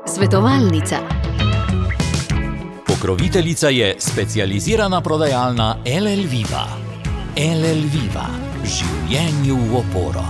Svetovalnica. Pokroviteljica je specializirana prodajalna LL Viva. LL Viva. Življenju v oporo.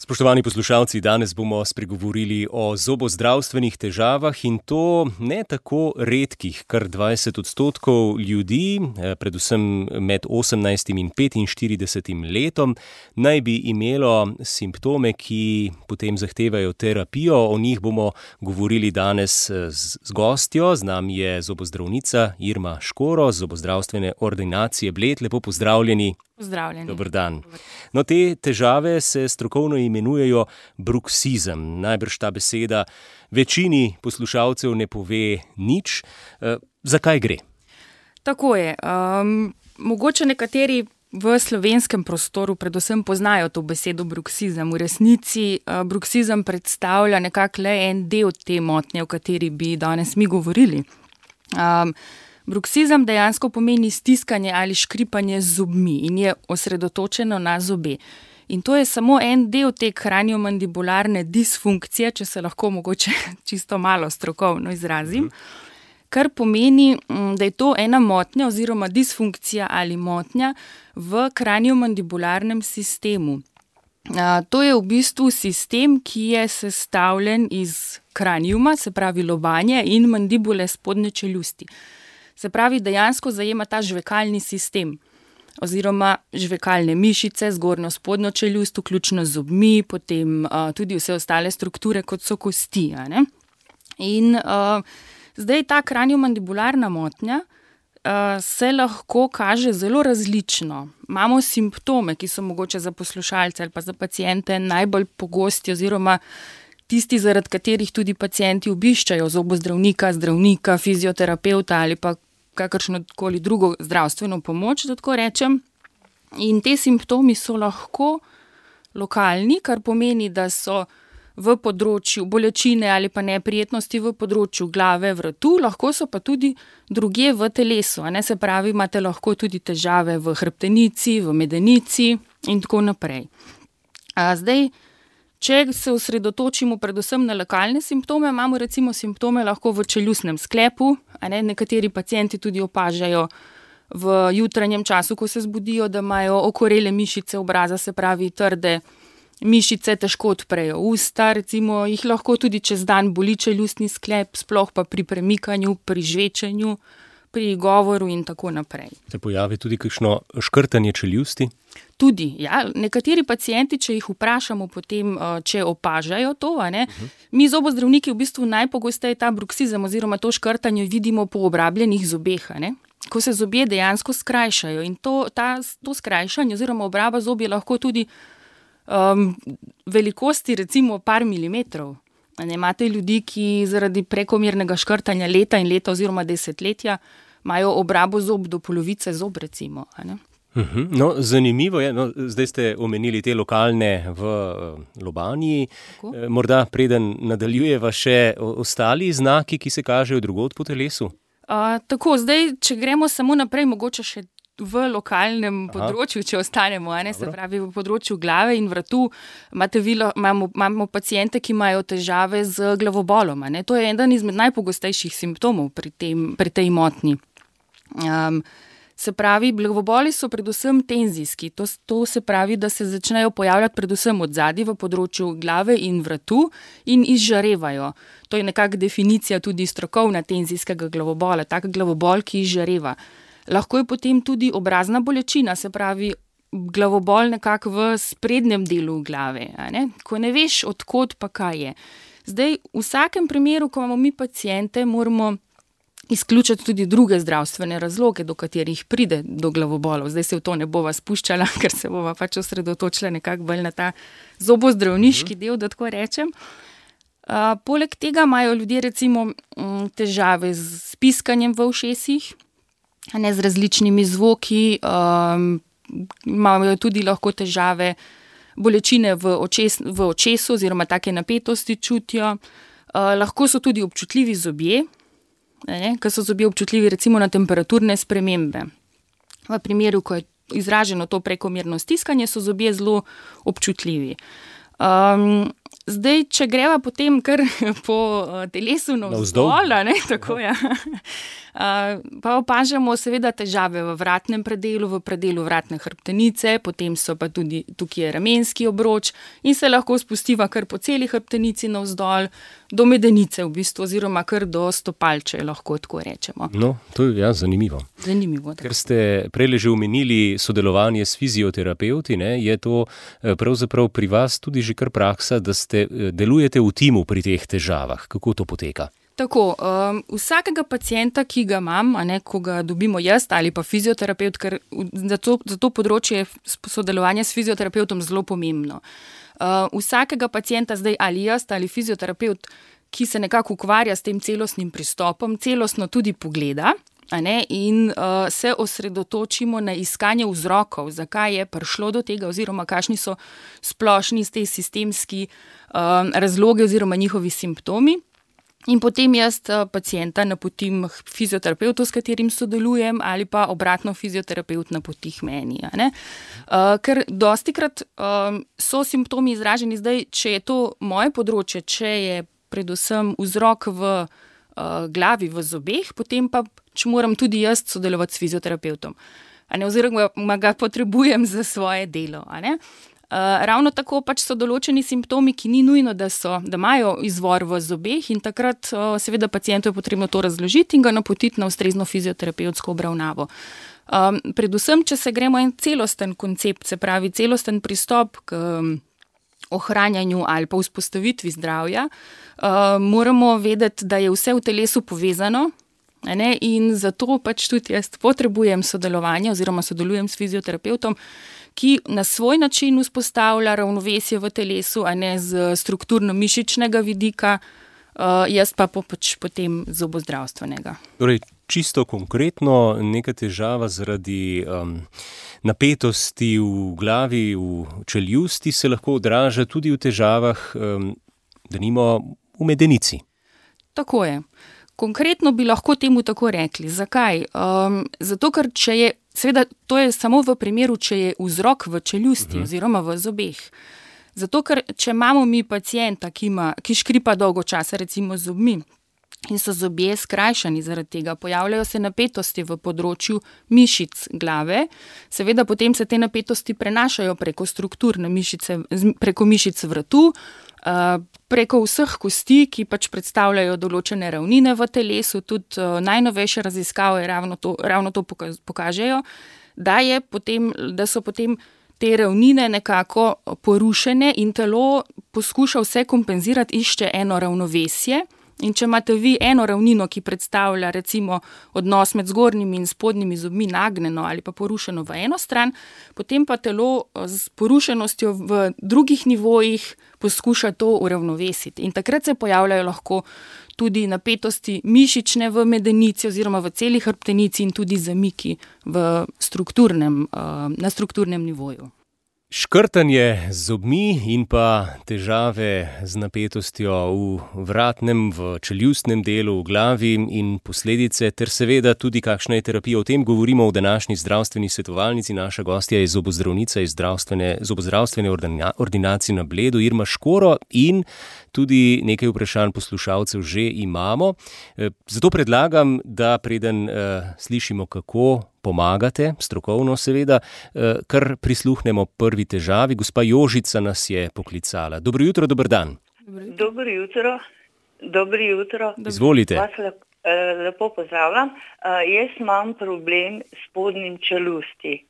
Spoštovani poslušalci, danes bomo spregovorili o zobozdravstvenih težavah in to ne tako redkih, kar 20% ljudi, predvsem med 18 in 45 letom, naj bi imelo simptome, ki potem zahtevajo terapijo. O njih bomo govorili danes z gostjo. Z nami je zobozdravnica Irma Škoro z zobozdravstvene ordinacije Bled. Lepo pozdravljeni. Pozdravljeni. Dober dan. No, te težave se strokovno imenujejo bruksizem. Najbrž ta beseda večini poslušalcev ne pove nič. Zakaj gre? Tako je. Mogoče nekateri v slovenskem prostoru predvsem poznajo to besedo bruksizem. V resnici bruksizem predstavlja nekako le en del te motnje, o kateri bi danes mi govorili. Bruksizem dejansko pomeni stiskanje ali škripanje z zobmi in je osredotočeno na zobe. In to je samo en del te kraniomandibularne disfunkcije, če se lahko mogoče čisto malo strokovno izrazim, kar pomeni, da je to ena motnja oziroma disfunkcija ali motnja v kraniomandibularnem sistemu. To je v bistvu sistem, ki je sestavljen iz kraniuma, se pravi lobanje, in mandibule spodnje čeljusti. Se pravi, dejansko zajema ta žvekalni sistem oziroma žvekalne mišice, zgornjo spodnjo čeljust, vključno z zobmi, potem tudi vse ostale strukture, kot so kosti. In zdaj ta kraniomandibularna motnja se lahko kaže zelo različno. Imamo simptome, ki so mogoče za poslušalce ali pa za paciente najbolj pogosti oziroma tisti, zaradi katerih tudi pacienti obiščajo zobozdravnika, zdravnika, fizioterapevta ali pa kakršnokoli drugo zdravstveno pomoč, da tako rečem. In te simptomi so lahko lokalni, kar pomeni, da so v področju bolečine ali pa neprijetnosti v področju glave, vratu, lahko so pa tudi drugje v telesu. Se pravi, imate lahko tudi težave v hrbtenici, v medenici in tako naprej. Zdaj, če se osredotočimo predvsem na lokalne simptome, imamo recimo simptome lahko v čeljustnem sklepu. Nekateri pacienti tudi opažajo v jutranjem času, ko se zbudijo, da imajo okorele mišice obraza, se pravi trde mišice, težko odprejo usta, recimo jih lahko tudi čez dan boli čeljustni sklep, sploh pa pri premikanju, pri žvečenju, pri govoru in tako naprej. Se pojavi tudi kakšno škrtanje čeljusti? Tudi, ja. Nekateri pacienti, če jih vprašamo potem, če opažajo to, mi zobozdravniki v bistvu najpogosteje ta bruksizem oziroma to škrtanje vidimo po obrabljenih zobeh, ko se zobje dejansko skrajšajo. In to skrajšanje oziroma obraba zob je lahko tudi velikosti recimo par milimetrov. Imate ljudi, ki zaradi prekomernega škrtanja leta in leta oziroma desetletja imajo obrabo zob do polovice zob recimo. No, zanimivo je, zdaj ste omenili te lokalne v lobanji. Morda preden nadaljujeva še ostali znaki, ki se kažejo drugod po telesu? Tako, zdaj, če gremo samo naprej, mogoče še v lokalnem področju, če ostanemo, se pravi v področju glave in vratu, imamo paciente, ki imajo težave z glavobolom. To je eden izmed najpogostejših simptomov pri tej motnji. Se pravi, glavoboli so predvsem tenzijski. To se pravi, da se začnejo pojavljati predvsem odzadaj v področju glave in vratu in izžarevajo. To je nekako definicija tudi strokovna tenzijskega glavobola, tak glavobol, ki izžareva. Lahko je potem tudi obrazna bolečina, se pravi glavobol nekako v sprednjem delu glave, ko ne veš, odkot pa kaj je. Zdaj, v vsakem primeru, ko imamo mi paciente, moramo izključiti tudi druge zdravstvene razloge, do katerih pride do glavobolov. Zdaj se v to ne bova spuščala, ker se bova pač osredotočila nekako bolj na ta zobozdravniški del, da tako rečem. Poleg tega imajo ljudje recimo težave z piskanjem v ušesih, z različnimi zvoki, imajo tudi lahko težave, bolečine v očesu oziroma take napetosti čutijo. Lahko so tudi občutljivi zobje, ker so zobje občutljivi recimo na temperaturne spremembe. V primeru, ko je izraženo to prekomerno stiskanje, so zobje zelo občutljivi. Zdaj, če greva potem kar po telesu navzdol, tako ja. Pa opažamo seveda težave v vratnem predelu, v predelu vratne hrbtenice, potem so pa tudi tukaj je ramenski obroč in se lahko spustiva kar po celi hrbtenici navzdol, do medenice v bistvu, oziroma kar do stopalče, lahko tako rečemo. No, to je zanimivo. Zanimivo, da. Ker ste prej že omenili sodelovanje s fizioterapevti, je to pravzaprav pri vas tudi že kar praksa, da delujete v timu pri teh težavah. Kako to poteka? Tako, vsakega pacienta, ki ga imam, ko ga dobimo jaz ali pa fizioterapevt, ker za to področje je sodelovanje s fizioterapevtom zelo pomembno. Vsakega pacienta zdaj ali jaz ali fizioterapevt, ki se nekako ukvarja s tem celostnim pristopom, celostno tudi pogleda, in se osredotočimo na iskanje vzrokov, zakaj je prišlo do tega oziroma kakšni so splošni te sistemski razlogi oziroma njihovi simptomi. In potem jaz pacienta napotim fizioterapevtu, s katerim sodelujem, ali pa obratno fizioterapeut napoti meni. Ker dostikrat so simptomi izraženi zdaj, če je to moje področje, če je predvsem vzrok v glavi, v zobeh, potem pa moram tudi jaz sodelovati s fizioterapevtom. Oziroma ga potrebujem za svoje delo. Ravno tako pač so določeni simptomi, ki ni nujno, da imajo izvor v zobeh in takrat seveda pacientu je potrebno to razložiti in ga napotiti na ustrezno fizioterapevtsko obravnavo. Predvsem, če se gremo en celosten koncept, se pravi celosten pristop k ohranjanju ali pa vzpostavitvi zdravja, moramo vedeti, da je vse v telesu povezano, in zato pač tudi jaz potrebujem sodelovanje oziroma sodelujem s fizioterapevtom, ki na svoj način vzpostavlja ravnovesje v telesu, z strukturno-mišičnega vidika, jaz pa potem zobozdravstvenega. Torej, čisto konkretno, neka težava zaradi napetosti v glavi, v čeljusti se lahko odraža tudi v težavah, denimo v medenici. Tako je. Konkretno bi lahko temu tako rekli. Zakaj? Zato, ker seveda to je samo v primeru, če je vzrok v čeljusti oziroma v zobeh. Zato, ker če imamo mi pacienta, ki škripa dolgo časa, recimo z zobmi, in so zobje skrajšani zaradi tega, pojavljajo se napetosti v področju mišic glave, seveda potem se te napetosti prenašajo preko strukturne mišice, preko mišic vratu, preko vseh kosti, ki pač predstavljajo določene ravnine v telesu, tudi najnovejše raziskave ravno to pokažejo, da so potem te ravnine nekako porušene in telo poskuša vse kompenzirati, išče eno ravnovesje. In če imate vi eno ravnino, ki predstavlja recimo odnos med zgornjimi in spodnjimi zobmi nagnjeno ali pa porušeno v eno stran, potem pa telo s porušenostjo v drugih nivojih poskuša to uravnovesiti. In takrat se pojavljajo lahko tudi napetosti mišične v medenici oziroma v celi hrbtenici in tudi zamiki na strukturnem nivoju. Škrtanje z zobmi in pa težave z napetostjo v vratnem, v čeljustnem delu, v glavi in posledice, ter seveda tudi kakšna je terapija. O tem govorimo v današnji zdravstveni svetovalnici. Naša gostja je zobozdravnica iz zobozdravstvene ordinacije na Bledu, Irma Škoro, in tudi nekaj vprašanj poslušalcev že imamo. Zato predlagam, da preden slišimo, kako pomagate, strokovno seveda, kar prisluhnemo prvi težavi. Gospa Jožica nas je poklicala. Dobro jutro, dober dan. Dobro jutro. Izvolite. Vas lepo pozdravljam. Jaz imam problem s spodnjim čeljusti.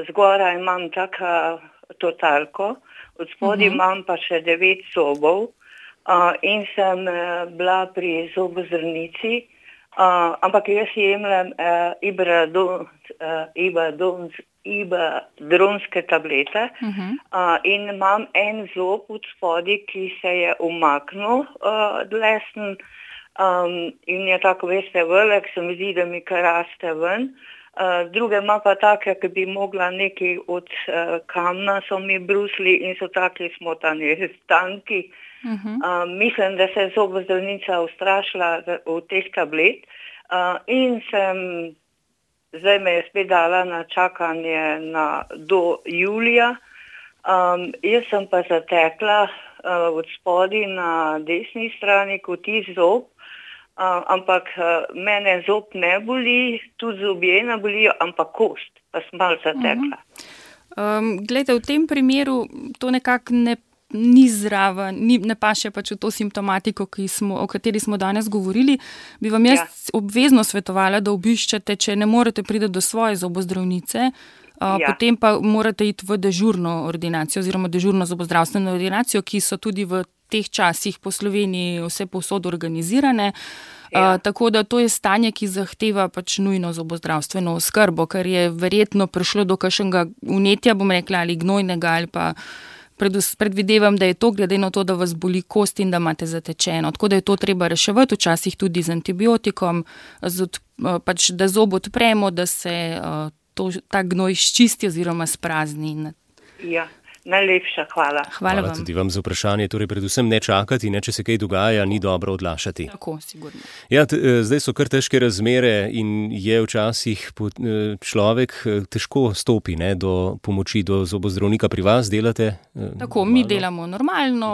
Zgoraj imam tako totalko, od spodaj imam pa še 9 zobov in sem bila pri zobozdravnici. Ampak jaz jemljem ibadronske tablete in imam en zob od spodaj, ki se je umaknil dlesen in je tako, veste, velik, se mi zdi, da mi kar raste ven. Druge ima pa take, ki bi mogla nekaj od kamna, so mi brusli in so taki smotani stanki. Mislim, da se je zobozdravnica ustrašila v teh tablet in zdaj me je spet dala na čakanje do julija Jaz sem pa zatekla od spodaj na desni strani koti zob, ampak mene zob ne boli, tudi zobje ne bolijo, ampak kost, pa sem malo zatekla. Glejte, v tem primeru to nekako ni zraven, ne paše pač v to simptomatiko, o kateri smo danes govorili. Bi vam jaz obvezno svetovala, da obiščete, če ne morete priti do svoje zobozdravnice, potem pa morate iti v dežurno ordinacijo oziroma dežurno zobozdravstveno ordinacijo, ki so tudi v teh časih po Sloveniji vse povsod organizirane. Tako da to je stanje, ki zahteva pač nujno zobozdravstveno oskrbo, ker je verjetno prišlo do kakšnega vnetja, bom rekla, ali gnojnega, ali pa predvidevam, da je to glede na to, da vas boli kost in da imate zatečeno. Tako da je to treba reševati, včasih tudi z antibiotikom, pač da zob odpremo, da se ta gnoj ščisti oziroma sprazni. Ja. Najlepša hvala. Hvala tudi vam za vprašanje. Torej, predvsem ne čakati, če se kaj dogaja, ni dobro odlašati. Tako, sigurno. Ja, zdaj so kar težke razmere in je včasih človek težko stopi do pomoči, do zobozdravnika. Pri vas delate? Tako, mi delamo normalno,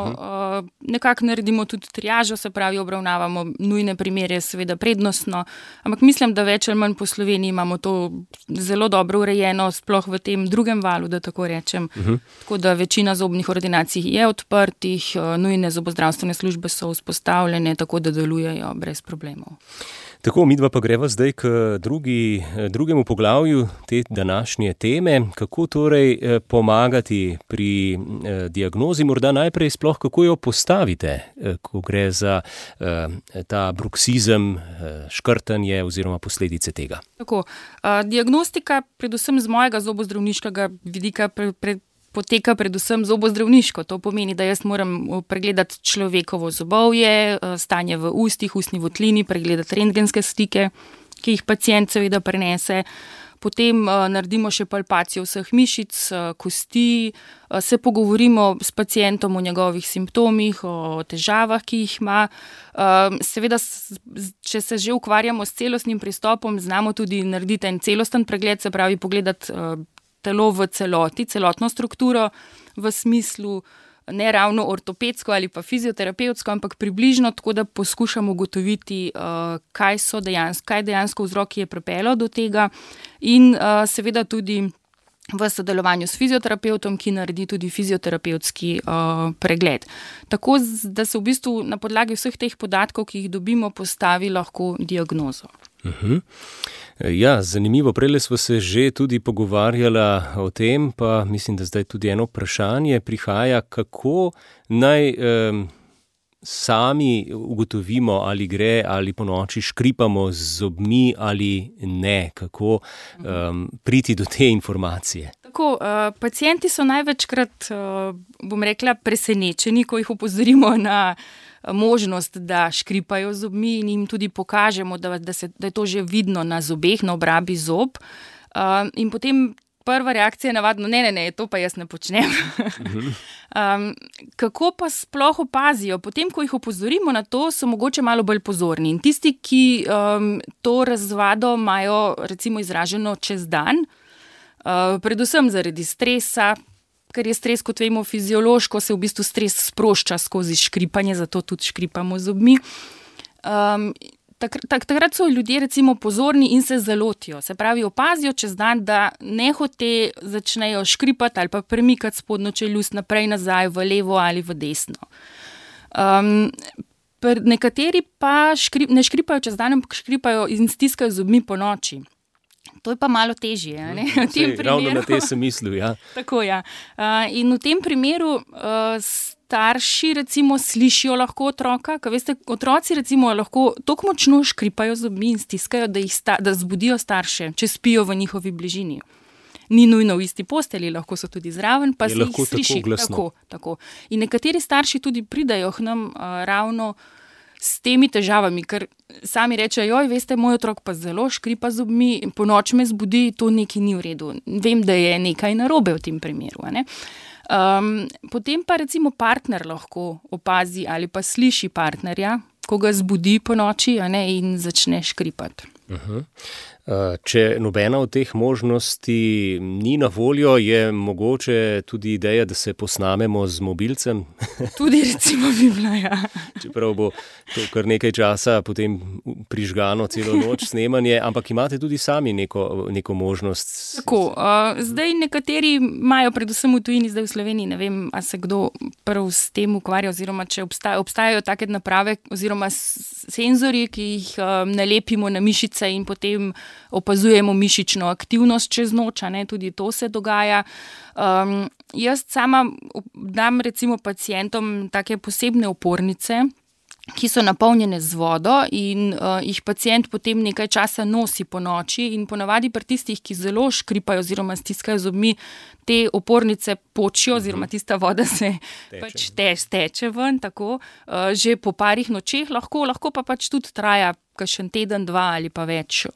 nekako naredimo tudi triažo, se pravi, obravnavamo nujne primere, seveda prednostno, ampak mislim, da več ali manj po Sloveniji imamo to zelo dobro urejeno, sploh v tem drugem valu, da tako rečem. Tako da večina zobnih ordinacij je odprtih, nujne zobozdravstvene službe so vzpostavljene, tako da delujejo brez problemov. Tako, midva pa greva zdaj k drugemu poglavju te današnje teme. Kako torej pomagati pri diagnozi, morda najprej sploh, kako jo postavite, ko gre za ta bruksizem, škrtanje oziroma posledice tega? Tako, diagnostika, predvsem z mojega zobozdravniškega vidika, poteka predvsem zobozdravniško. To pomeni, da jaz moram pregledati človekovo zobovje, stanje v ustih, ustni votlini, pregledati rentgenske slike, ki jih pacient seveda prenese. Potem naredimo še palpacijo vseh mišic, kosti, se pogovorimo s pacientom o njegovih simptomih, o težavah, ki jih ima. Seveda, če se že ukvarjamo s celostnim pristopom, znamo tudi narediti en celosten pregled, se pravi pogledati telo v celoti, celotno strukturo v smislu ne ravno ortopedsko ali pa fizioterapevtsko, ampak približno tako, da poskušamo ugotoviti, kaj dejansko vzroki je pripeljalo do tega in seveda tudi v sodelovanju s fizioterapevtom, ki naredi tudi fizioterapevtski pregled. Tako, da se v bistvu na podlagi vseh teh podatkov, ki jih dobimo, postavi lahko diagnozo. Ja, zanimivo. Prejle smo se že tudi pogovarjala o tem, pa mislim, da zdaj tudi eno vprašanje prihaja, kako naj sami ugotovimo, ali gre ali ponoči škripamo z zobmi ali ne, kako priti do te informacije. Tako, pacienti so največkrat, bom rekla, presenečeni, ko jih opozorimo na možnost, da škripajo z zobmi in jim tudi pokažemo, da je to že vidno na zobeh, na obrabi zob. In potem prva reakcija je navadno, ne, to pa jaz ne počnem. Kako pa sploh opazijo? Potem, ko jih opozorimo na to, so mogoče malo bolj pozorni. In tisti, ki to razvado imajo recimo izraženo čez dan, predvsem zaradi stresa, ker je stres, kot vemo, fiziološko, se v bistvu stres sprošča skozi škripanje, zato tudi škripamo z zobmi. Takrat so ljudje recimo pozorni in se zalotijo. Se pravi, opazijo čez dan, da nehote začnejo škripati ali pa premikati spodnjo čeljust naprej, nazaj, v levo ali v desno. Nekateri pa ne škripajo čez dan, ampak škripajo in stiskajo zobmi po noči. To je pa malo težje. Ravno na te sem mislil, ja. Tako, ja. In v tem primeru starši recimo slišijo lahko otroka, ker veste, otroci recimo lahko toliko močno škripajo zobmi in stiskajo, da zbudijo starše, če spijo v njihovi bližini. Ni nujno v isti postelji, lahko so tudi zraven, pa se jih sliši. Tako. In nekateri starši tudi pridajo k nam ravno s temi težavami, ker sami rečejo, veste, moj otrok pa zelo škripa z zobmi, po noč me zbudi, to nekaj ni v redu. Vem, da je nekaj narobe v tem primeru. Potem pa recimo partner lahko opazi ali pa sliši partnerja, ko ga zbudi po noči in začne škripati. Če nobena od teh možnosti ni na voljo, je mogoče tudi ideja, da se posnamemo z mobilcem. Tudi recimo bi bila, ja. Čeprav bo to kar nekaj časa potem prižgano celo noč snemanje, ampak imate tudi sami neko možnost. Tako, zdaj nekateri imajo predvsem v tujini, zdaj v Sloveniji, ne vem, a se kdo prv s tem ukvarja, oziroma če obstajajo take naprave oziroma senzorji, ki jih nalepimo na mišice in potem opazujemo mišično aktivnost čez noč, ne, tudi to se dogaja. Jaz sama dam recimo pacientom take posebne opornice, ki so napolnjene z vodo in jih pacient potem nekaj časa nosi po noči in ponavadi pri tistih, ki zelo škripajo oziroma stiskajo zobmi, te opornice počijo oziroma tista voda se pač steče ven, tako, že po parih nočeh, lahko pa pač tudi traja kakšen teden, 2 ali pa več.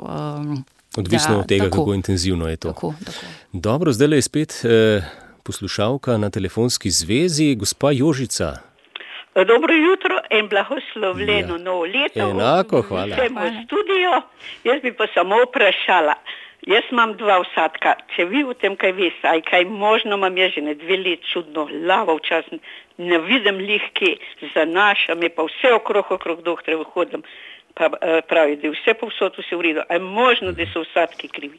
Odvisno od tega, kako intenzivno je to. Tako. Dobro, zdaj je spet poslušalka na telefonski zvezi, gospa Jožica. Dobro jutro in blagoslovljeno novo leto. Enako, hvala. Vsem v studio. Jaz bi pa samo vprašala. Jaz imam 2 vsadka. Če vi o tem kaj veste, aj kaj možno imam jaz že 2 let čudno glavo včasih, ne vidim lihki, zanašam je pa vse okrog doktorja hodim, pa pravi, da je vse povsod vse v redu. Aj možno, da so vsadki krivi?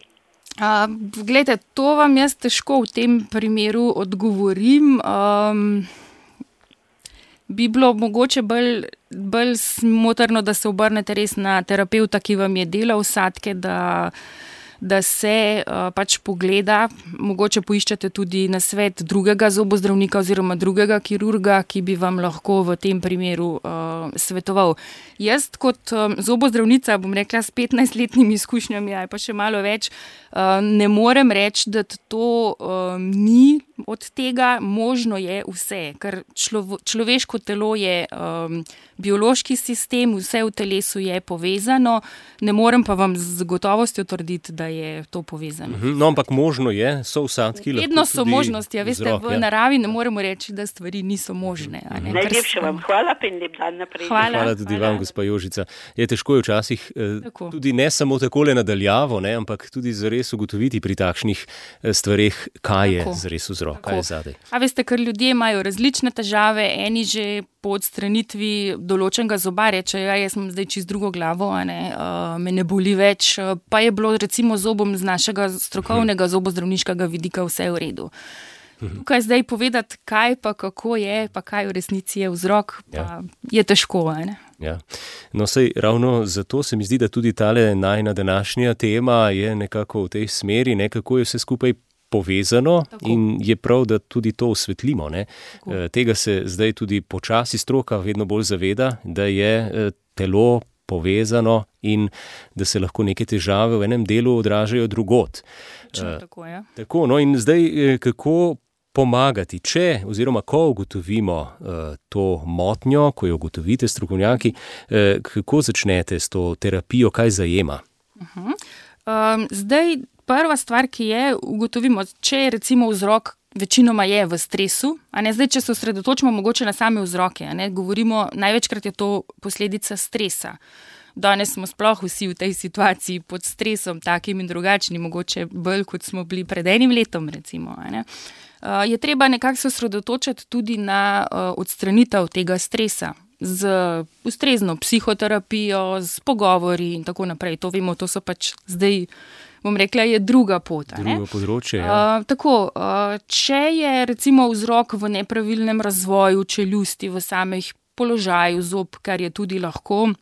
Glejte, to vam jaz težko v tem primeru odgovorim. Bi bilo mogoče bolj smotrno, da se obrnete res na terapevta, ki vam je delal vsadke, da se pač pogleda, mogoče poiščete tudi nasvet drugega zobozdravnika oziroma drugega kirurga, ki bi vam lahko v tem primeru svetoval. Jaz kot zobozdravnica, bom rekla, s 15-letnimi izkušnjami, ali pa še malo več, ne morem reči, da to ni od tega, možno je vse, ker človeško telo je biološki sistem, vse v telesu je povezano, ne morem pa vam z gotovostjo trditi, da je to povezano. No, ampak možno je, so vsadki lahko tudi vedno so možnosti, veste, vzrok, v naravi ne moremo reči, da stvari niso možne. Najlepše vam hvala, pa in lep dan naprej. Hvala tudi vam, gospa Jožica. Je težko je včasih tudi ne samo takole nadaljavo, ne, ampak tudi zares ugotoviti pri takšnih stvareh, kaj je zares vzrok, kaj je zadaj. A veste, ker ljudje imajo različne težave, eni že po odstranitvi določenega zoba rečejo, jaz imam zdaj čisto drugo glavo, me ne boli več, pa je bilo recimo zobom z našega strokovnega zobozdravniškega vidika vse v redu. Tukaj zdaj povedati, kaj pa kako je, pa kaj v resnici je vzrok, pa je težko. Ja. No, sej ravno zato se mi zdi, da tudi tale najina današnja tema je nekako v tej smeri, kako je vse skupaj povezano. Tako. In je prav, da tudi to osvetlimo. Tega se zdaj tudi počasi stroka vedno bolj zaveda, da je telo povezano in da se lahko neke težave v enem delu odražajo drugod. Tako, ja. Tako, no in zdaj kako pomagati, če oziroma ko ugotovimo to motnjo, ko jo ugotovite strokovnjaki, kako začnete s to terapijo, kaj zajema? Zdaj, prva stvar, ki je, ugotovimo, če je recimo vzrok večinoma je v stresu, zdaj, če se osredotočimo mogoče na same vzroke, govorimo, največkrat je to posledica stresa. Danes smo sploh vsi v tej situaciji pod stresom, takim in drugačnim, mogoče bolj, kot smo bili pred enim letom, recimo. Je treba nekako se osredotočiti tudi na odstranitev tega stresa z ustrezno psihoterapijo, z pogovori in tako naprej. To vemo, to so pač zdaj, bom rekla, je druga pot. Drugo področje, ja. Če je recimo vzrok v nepravilnem razvoju čeljusti, v samih položaju zob, kar je tudi lahko,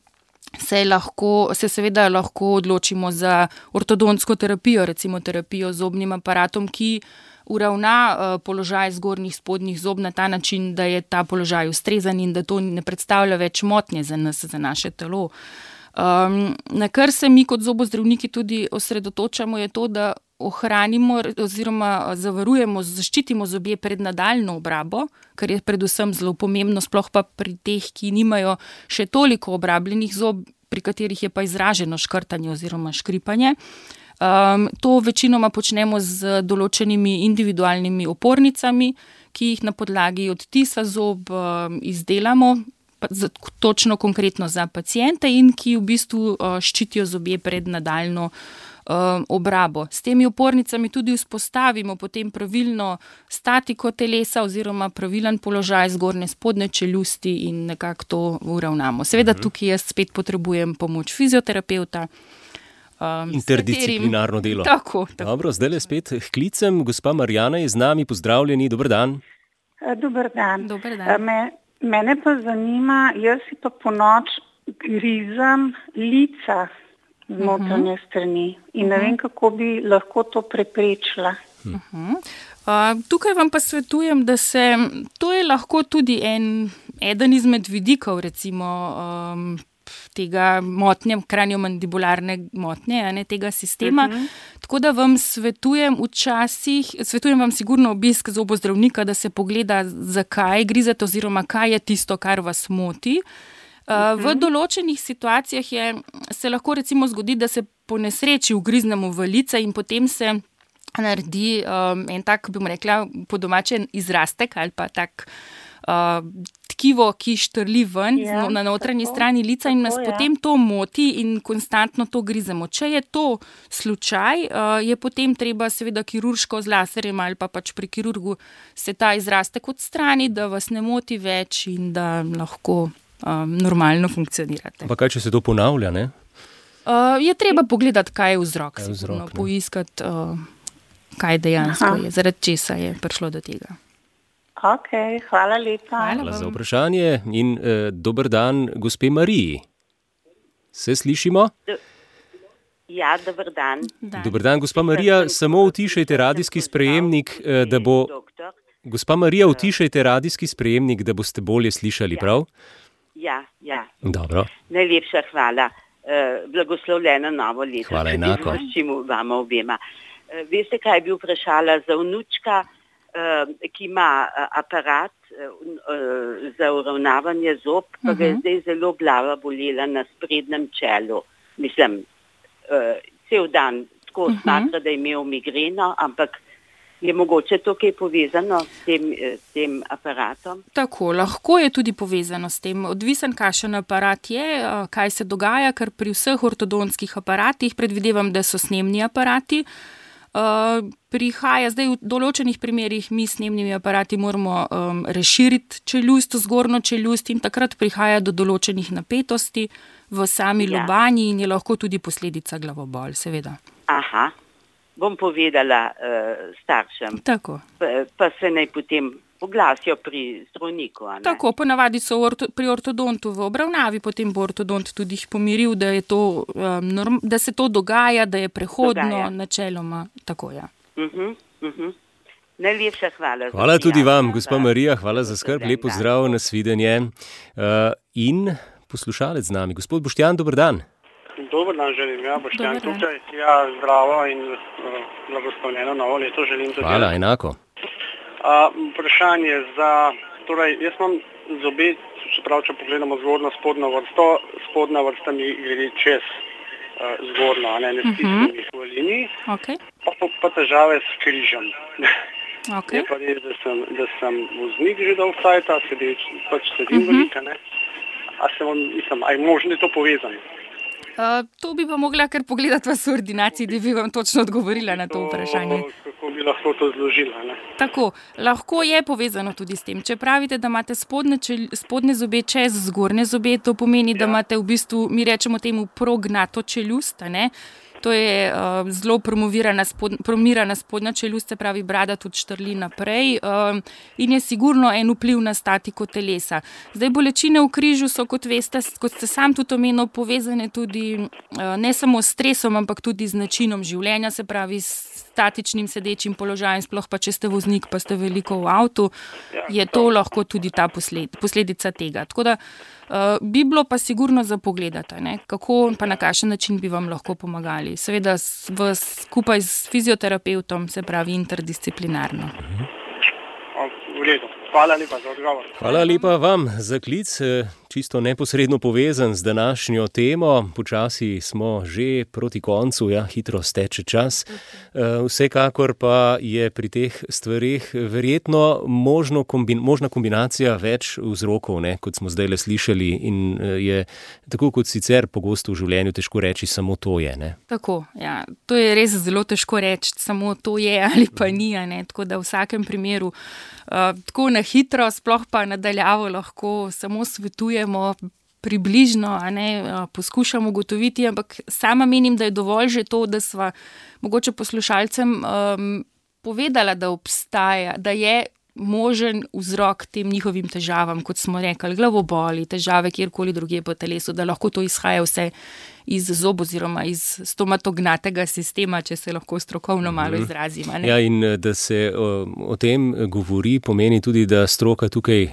se seveda lahko odločimo za ortodontsko terapijo, recimo terapijo z zobnim aparatom, ki uravna položaj zgornjih spodnjih zob na ta način, da je ta položaj ustrezen in da to ne predstavlja več motnje za nas, za naše telo. Na kar se mi kot zobozdravniki tudi osredotočamo, je to, da ohranimo oziroma zavarujemo, zaščitimo zobje pred nadaljnjo obrabo, kar je predvsem zelo pomembno, sploh pa pri teh, ki nimajo še toliko obrabljenih zob, pri katerih je pa izraženo škrtanje oziroma škripanje. To večinoma počnemo z določenimi individualnimi opornicami, ki jih na podlagi odtisa zob izdelamo. točno konkretno za paciente in ki v bistvu ščitijo zobje pred nadaljno obrabo. S temi opornicami tudi vzpostavimo potem pravilno statiko telesa oziroma pravilen položaj zgornje spodnje čeljusti in nekako to uravnamo. Seveda tukaj jaz spet potrebujem pomoč fizioterapeuta. Interdisciplinarno delo. Tako. Dobro, zdaj spet klicem. Gospa Marjana je z nami, pozdravljeni, dober dan. Dober dan. Dober dan. Mene pa zanima, jaz si pa ponoč grizam lica z notranje strani in ne vem, kako bi lahko to preprečila. Tukaj vam pa svetujem, da to je lahko tudi eden izmed vidikov, recimo tega motnje, kraniomandibularne motnje, tega sistema. Tako da vam svetujem vam sigurno obisk zobozdravnika, da se pogleda, zakaj grizete oziroma kaj je tisto, kar vas moti. V določenih situacijah se lahko recimo zgodi, da se po nesreči ugriznemo v lice in potem se naredi en tak, bi mu rekla, po domače izrastek ali pa tak tkivo, ki štrli ven na notranji strani lica in nas potem to moti in konstantno to grizemo. Če je to slučaj, je potem treba seveda kirurško z laserjem ali pa pač pri kirurgu se ta izrastek odstrani, da vas ne moti več in da lahko normalno funkcionirate. Pa kaj, če se to ponavlja, ne? Je treba pogledati, kaj je vzrok, poiskati, kaj dejansko je, zaradi česa je prišlo do tega. Ok, hvala lepa. Hvala za vprašanje in dober dan gospe Mariji. Se slišimo? Ja, dober dan. Dober dan, gospa Marija, samo utišajte radijski sprejemnik, da bo... Gospa Marija, utišajte radijski sprejemnik, da boste bolje slišali, prav? Ja. Dobro. Najlepša hvala. Blagoslovljeno novo leto. Hvala enako. Vama obema. Veste, kaj bi vprašala za vnučka, ki ima aparat za uravnavanje zob, pa ga je zdaj zelo glava bolela na sprednjem čelu. Mislim, cel dan tako smatra, da je imel migreno, ampak je mogoče to kaj povezano s tem aparatom? Tako, lahko je tudi povezano s tem. Odvisen, kakšen aparat je, kaj se dogaja, ker pri vseh ortodontskih aparatih, predvidevam, da so snemni aparati, prihaja zdaj v določenih primerih, mi s snemnimi aparati moramo razširiti čeljust, zgornjo čeljust in takrat prihaja do določenih napetosti v sami lobanji in je lahko tudi posledica glavobol, seveda. Aha. Bom povedala staršem. Tako. Pa se naj potem oglasijo pri zdravniku. Tako, ponavadi so pri ortodontu v obravnavi, potem bo ortodont tudi jih pomiril, da je to, da se to dogaja, da je prehodno, načeloma. Tako, ja. Najlepša hvala. Hvala tudi vam, gospa Marija, hvala za skrb, lepo zdrav, nasvidenje. In poslušalec z nami, gospod Boštjan, dober dan. Dober dan želim, Boštjan tukaj. Zdravo in blagoslovljeno novo leto želim tudi. Hvala, enako. Vprašanje torej jaz imam zobe, če pogledamo zgornjo spodnjo vrsto, spodnja vrsta mi gre čez zgornjo, ne stisnem jih v liniji, pa težave s križem. Je pa res, da sem voznik že dolgo cajta, sedim velika, ne. A je možno to povezano? To bi pa mogla kar pogledati vas v ordinaciji, da bi vam točno odgovorila na to vprašanje. Kako bi lahko to zložila, ne? Tako, lahko je povezano tudi s tem. Če pravite, da imate spodnje zobe čez zgornje zobe, to pomeni, da imate v bistvu, mi rečemo temu prognato čeljust, ne? To je zelo promirana spodnja čeljust, se pravi brada tudi štrli naprej in je sigurno en vpliv na statiko telesa. Zdaj bolečine v križu so, kot veste, kot ste sam tudi omenil, povezane tudi ne samo s stresom, ampak tudi z načinom življenja, se pravi s statičnim sedečim položajem, sploh pa če ste voznik, pa ste veliko v avtu, je to lahko tudi ta posledica tega. Tako da bi bilo pa sigurno za pogledati, ne? Kako pa na kakšen način bi vam lahko pomagali. Seveda skupaj s fizioterapeutom, se pravi interdisciplinarno. V redu. Hvala lepa za odgovor. Hvala lepa vam za klic. čisto neposredno povezan z današnjo temo. Počasi smo že proti koncu, hitro steče čas. Vsekakor pa je pri teh stvarih verjetno možna kombinacija več vzrokov, kot smo zdaj le slišali, in je tako kot sicer pogosto v življenju težko reči, samo to je. Ne? Tako, ja. To je res zelo težko reči, samo to je ali pa ni. Tako da v vsakem primeru tako na hitro, sploh pa nadaljavo lahko samo svetujemo približno, poskušamo ugotoviti, ampak sama menim, da je dovolj že to, da sva mogoče poslušalcem povedala, da obstaja, da je možen vzrok tem njihovim težavam, kot smo rekli, glavoboli, težave kjerkoli drugje po telesu, da lahko to izhaja vse iz zob oziroma iz stomatognatega sistema, če se lahko strokovno malo izrazim. Ja, in da se o tem govori, pomeni tudi, da stroka tukaj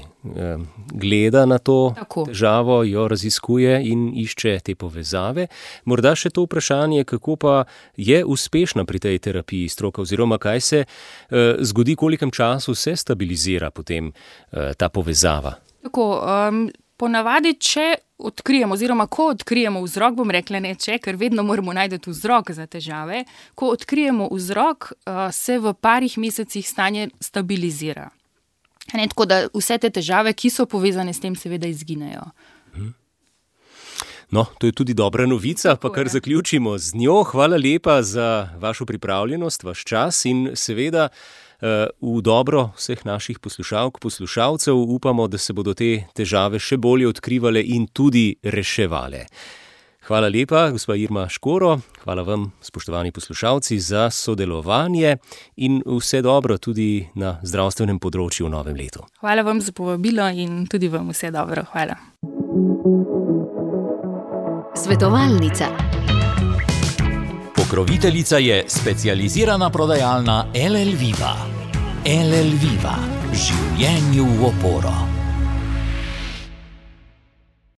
gleda na to težavo, jo raziskuje in išče te povezave. Morda še to vprašanje, kako pa je uspešna pri tej terapiji stroka, oziroma kaj se zgodi, kolikem času se stabilizira potem ta povezava? Tako, ponavadi, če odkrijemo, oziroma ko odkrijemo vzrok, bom rekla ne če, ker vedno moramo najti vzrok za težave, ko odkrijemo vzrok, se v parih mesecih stanje stabilizira. Tako da vse te težave, ki so povezane s tem, seveda izginejo. No, to je tudi dobra novica, pa kar zaključimo z njo. Hvala lepa za vašo pripravljenost, vaš čas in seveda v dobro vseh naših poslušalk, poslušalcev upamo, da se bodo te težave še bolje odkrivale in tudi reševale. Hvala lepa, gospa Irma Škoro, hvala vam, spoštovani poslušalci, za sodelovanje in vse dobro tudi na zdravstvenem področju v novem letu. Hvala vam za povabilo in tudi vam vse dobro. Hvala. Svetovalnica. Pokroviteljica je specializirana prodajalna LL Viva. LL Viva. Življenju v oporo.